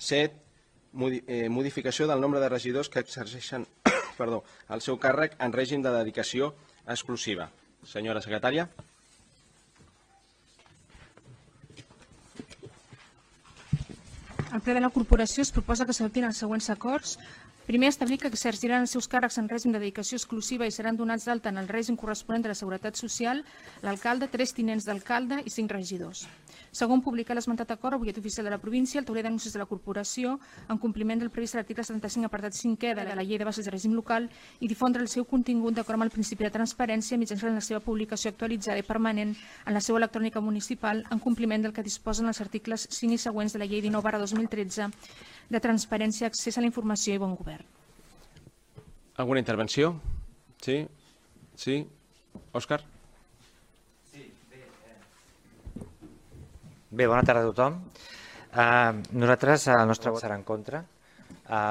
7. Modificació del nombre de regidors que exerceixen el seu càrrec en règim de dedicació exclusiva. Senyora secretària. Al ple de la corporació es proposa que s'adoptin els següents acords. Primer, establir que exerciran els seus càrrecs en règim de dedicació exclusiva i seran donats d'alta en el règim corresponent de la Seguretat Social l'alcalde, 3 tinents d'alcalde i 5 regidors. Segon, publicar l'esmentat acord al butlletí oficial de la província, al tauler d'anuncis de la corporació, en compliment del previst a l'article 75, apartat 5è de la Llei de Bases de Règim Local, i difondre el seu contingut d'acord amb el principi de transparència mitjançant la seva publicació actualitzada i permanent en la seva electrònica municipal, en compliment del que disposen els articles 5 i següents de la Llei 19/2013 de transparència, accés a la informació i bon govern. Alguna intervenció? Sí? Sí? Òscar? Bé, bona tarda a tothom. Nosaltres, el nostre vot serà en contra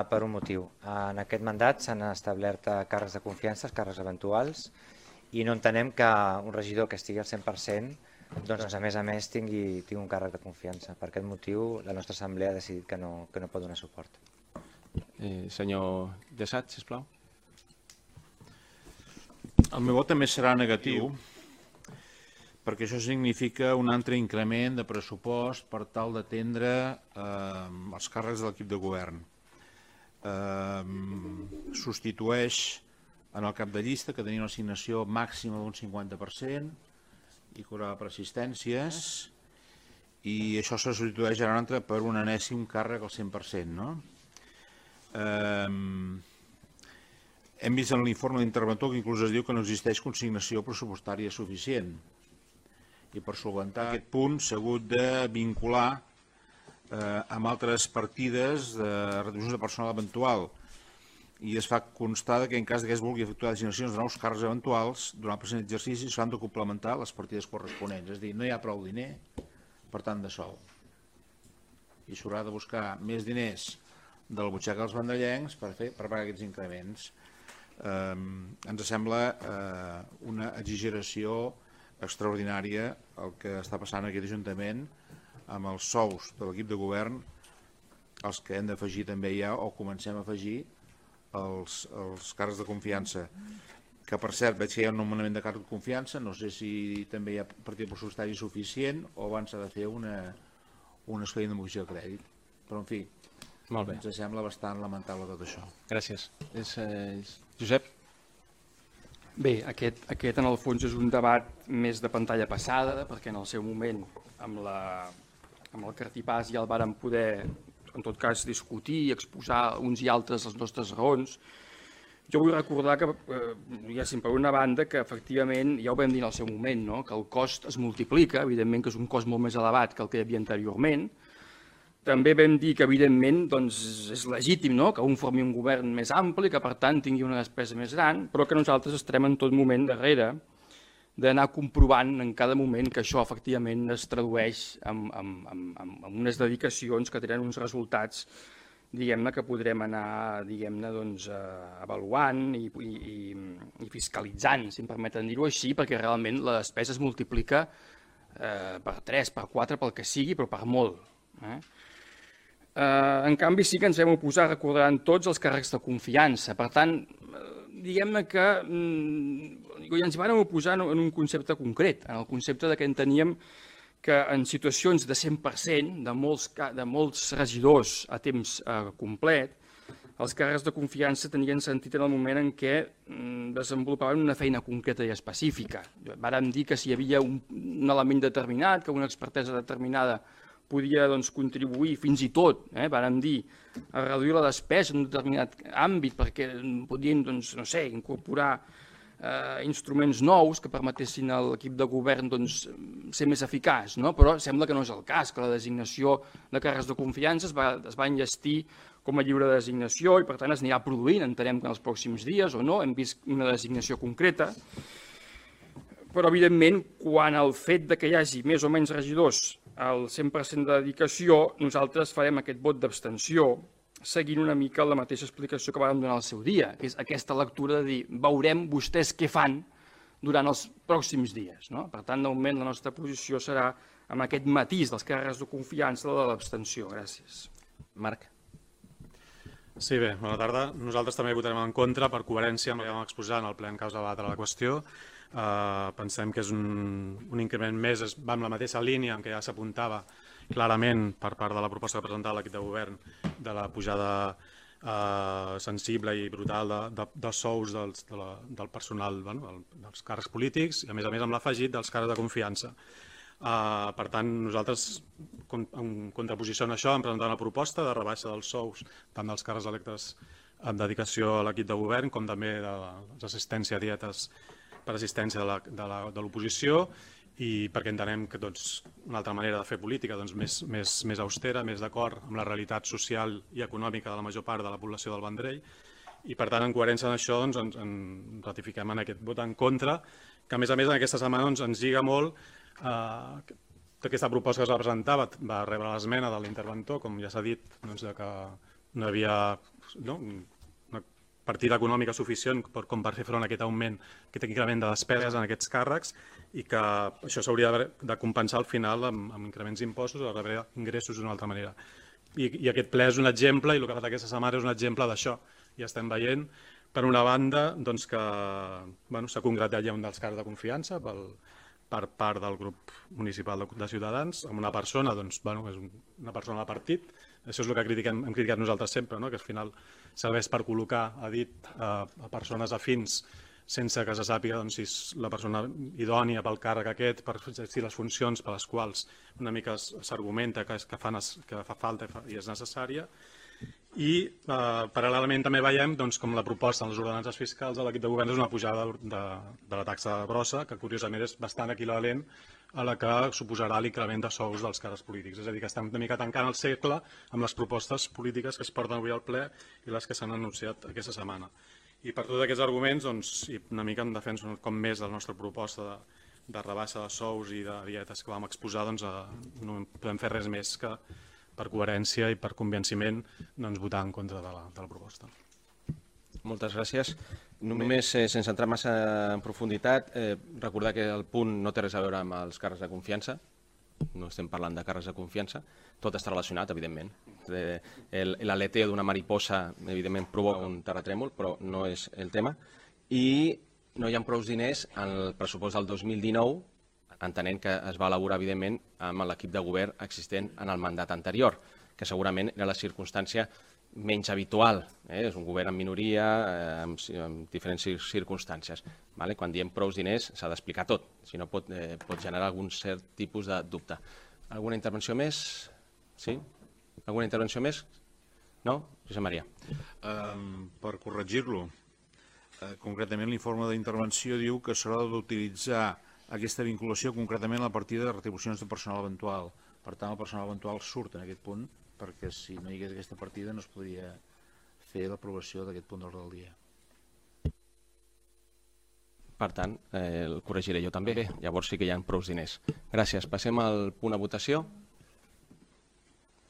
per un motiu. En aquest mandat s'han establert càrrecs de confiança, càrrecs eventuals, i no entenem que un regidor que estigui al 100% doncs, a més, tingui un càrrec de confiança. Per aquest motiu, la nostra assemblea ha decidit que no pot donar suport. Senyor Dessat, sisplau. El meu vot també serà negatiu, perquè això significa un altre increment de pressupost per tal d'atendre els càrrecs de l'equip de govern. Substitueix en el cap de llista, que tenia una assignació màxima d'un 50% i cobrava per assistències, i això se substitueix ara un altre per un enèsim càrrec al 100%, no? Hem vist en l'informe d'interventor que inclús es diu que no existeix consignació pressupostària suficient, i per solventar aquest punt s'ha hagut de vincular amb altres partides de retribucions de personal eventual, i es fa constar que en cas que es vulgui efectuar designacions de nous càrrecs eventuals durant el present exercici s'han de complementar les partides corresponents, és a dir, no hi ha prou diner per tant de sou, i s'haurà de buscar més diners de la butxaca dels vandallencs per pagar aquests increments. Ens sembla una exageració extraordinària el que està passant en aquest Ajuntament amb els sous de l'equip de govern, els que hem d'afegir també ja, o comencem a afegir els càrrecs de confiança, que per cert veig que hi ha un nomenament de càrrec de confiança, no sé si també hi ha partit pressupostari suficient o abans s'ha de fer un expedient de moció de crèdit, però en fi, ens sembla bastant lamentable tot això. Gràcies. Josep? Bé, aquest en el fons és un debat més de pantalla passada, perquè en el seu moment amb el cartipàs ja el vàrem poder, en tot cas, discutir i exposar uns i altres les nostres raons. Jo vull recordar que hi ha sempre una banda que efectivament, ja ho vam dir en el seu moment, que el cost es multiplica, evidentment que és un cost molt més elevat que el que hi havia anteriorment. També vam dir que, evidentment, és legítim que un formi un govern més ampli, que per tant tingui una despesa més gran, però que nosaltres estarem en tot moment darrere d'anar comprovant en cada moment que això efectivament es tradueix en unes dedicacions que tenen uns resultats que podrem anar avaluant i fiscalitzant, si em permeten dir-ho així, perquè realment la despesa es multiplica per 3, per 4, pel que sigui, però per molt. En canvi, sí que ens vam oposar, recordaran tots, els càrrecs de confiança. Per tant, diguem-ne que ens vam oposar en un concepte concret, en el concepte que enteníem que en situacions de 100%, de molts regidors a temps complet, els càrrecs de confiança tenien sentit en el moment en què desenvolupaven una feina concreta i específica. Vàrem dir que si hi havia un element determinat, que una expertesa determinada podia contribuir fins i tot, vàrem dir, a reduir la despesa en un determinat àmbit perquè podien, incorporar instruments nous que permetessin a l'equip de govern ser més eficaç, però sembla que no és el cas, que la designació de càrrecs de confiança es va enllestir com a lliure designació i per tant es anirà produint, entenem que en els pròxims dies o no, hem vist una designació concreta, però evidentment quan el fet que hi hagi més o menys regidors al 100% de dedicació, nosaltres farem aquest vot d'abstenció seguint una mica la mateixa explicació que vam donar al seu dia, que és aquesta lectura de dir veurem vostès què fan durant els pròxims dies. Per tant, de moment la nostra posició serà amb aquest matís dels càrrecs de confiança de l'abstenció. Gràcies. Marc. Sí, bé, bona tarda. Nosaltres també votarem en contra per coherència amb el que vam exposar en el ple en causa de debatre la qüestió. Pensem que és un increment més, va en la mateixa línia en què ja s'apuntava clarament per part de la proposta que presentava l'equip de govern de la pujada sensible i brutal de sous del personal, dels càrrecs polítics i a més amb l'afegit dels càrrecs de confiança. Per tant, nosaltres, en contraposició a això, hem presentat una proposta de rebaixa dels sous tant dels càrrecs electes amb dedicació a l'equip de govern com també de l'assistència a dietes per assistència de l'oposició, i perquè entenem que una altra manera de fer política més austera, més d'acord amb la realitat social i econòmica de la major part de la població del Vendrell, i per tant, en coherència amb això, ens ratifiquem en aquest vot en contra, que a més en aquesta setmana ens lliga molt. Aquesta proposta que es va presentar va rebre l'esmena de l'interventor, com ja s'ha dit, que no hi havia una partida econòmica suficient com per fer front a aquest augment, aquest increment de despeses en aquests càrrecs, i que això s'hauria de compensar al final amb increments d'impostos o de rebre ingressos d'una altra manera. I aquest ple és un exemple, i el que ha fet aquesta setmana és un exemple d'això. Ja estem veient, per una banda, que s'ha concretat ja un dels càrrecs de confiança per part del grup municipal de Ciutadans, amb una persona, és una persona del partit. Això és el que hem criticat nosaltres sempre, que al final serveix per col·locar a dit a persones afins sense que se sàpiga si és la persona idònia pel càrrec aquest, per exercir les funcions per les quals una mica s'argumenta que fa falta i és necessària. I paral·lelament també veiem com la proposta en les ordenances fiscals de l'equip de govern és una pujada de la taxa grossa, que curiosament és bastant equivalent a la que suposarà l'increment de sous dels càrrecs polítics. És a dir, que estem una mica tancant el cercle amb les propostes polítiques que es porten avui al ple i les que s'han anunciat aquesta setmana. I per tots aquests arguments, una mica en defensa com més de la nostra proposta de rebaixa de sous i de dietes que vam exposar, no podem fer res més que per coherència i per convenciment votar en contra de la proposta. Moltes gràcies. Només, sense entrar massa en profunditat, recordar que el punt no té res a veure amb els càrrecs de confiança. No estem parlant de càrrecs de confiança. Tot està relacionat, evidentment. L'aleteo d'una mariposa, evidentment, provoca un terratrèmol, però no és el tema. I no hi ha prou diners en el pressupost del 2019, entenent que es va elaborar, evidentment, amb l'equip de govern existent en el mandat anterior, que segurament era la circumstància menys habitual. És un govern en minoria, amb diferents circumstàncies. Quan diem prou diners s'ha d'explicar tot, si no pot generar algun cert tipus de dubte. Alguna intervenció més? Sí? Alguna intervenció més? No? Josep Maria. Per corregir-lo, concretament l'informe d'intervenció diu que s'haurà d'utilitzar aquesta vinculació concretament a la partida de retribucions de personal eventual. Per tant, el personal eventual surt en aquest punt, perquè si no hi hagués aquesta partida no es podria fer l'aprovació d'aquest punt d'ordre del dia. Per tant, el corregiré jo també. Llavors sí que hi ha prou diners. Gràcies. Passem al punt a votació.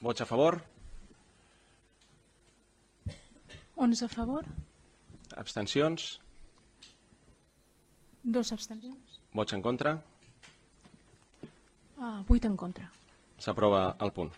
Vots a favor? 11 a favor, Abstencions? 2 abstencions, Vots en contra? 8 en contra. S'aprova el punt.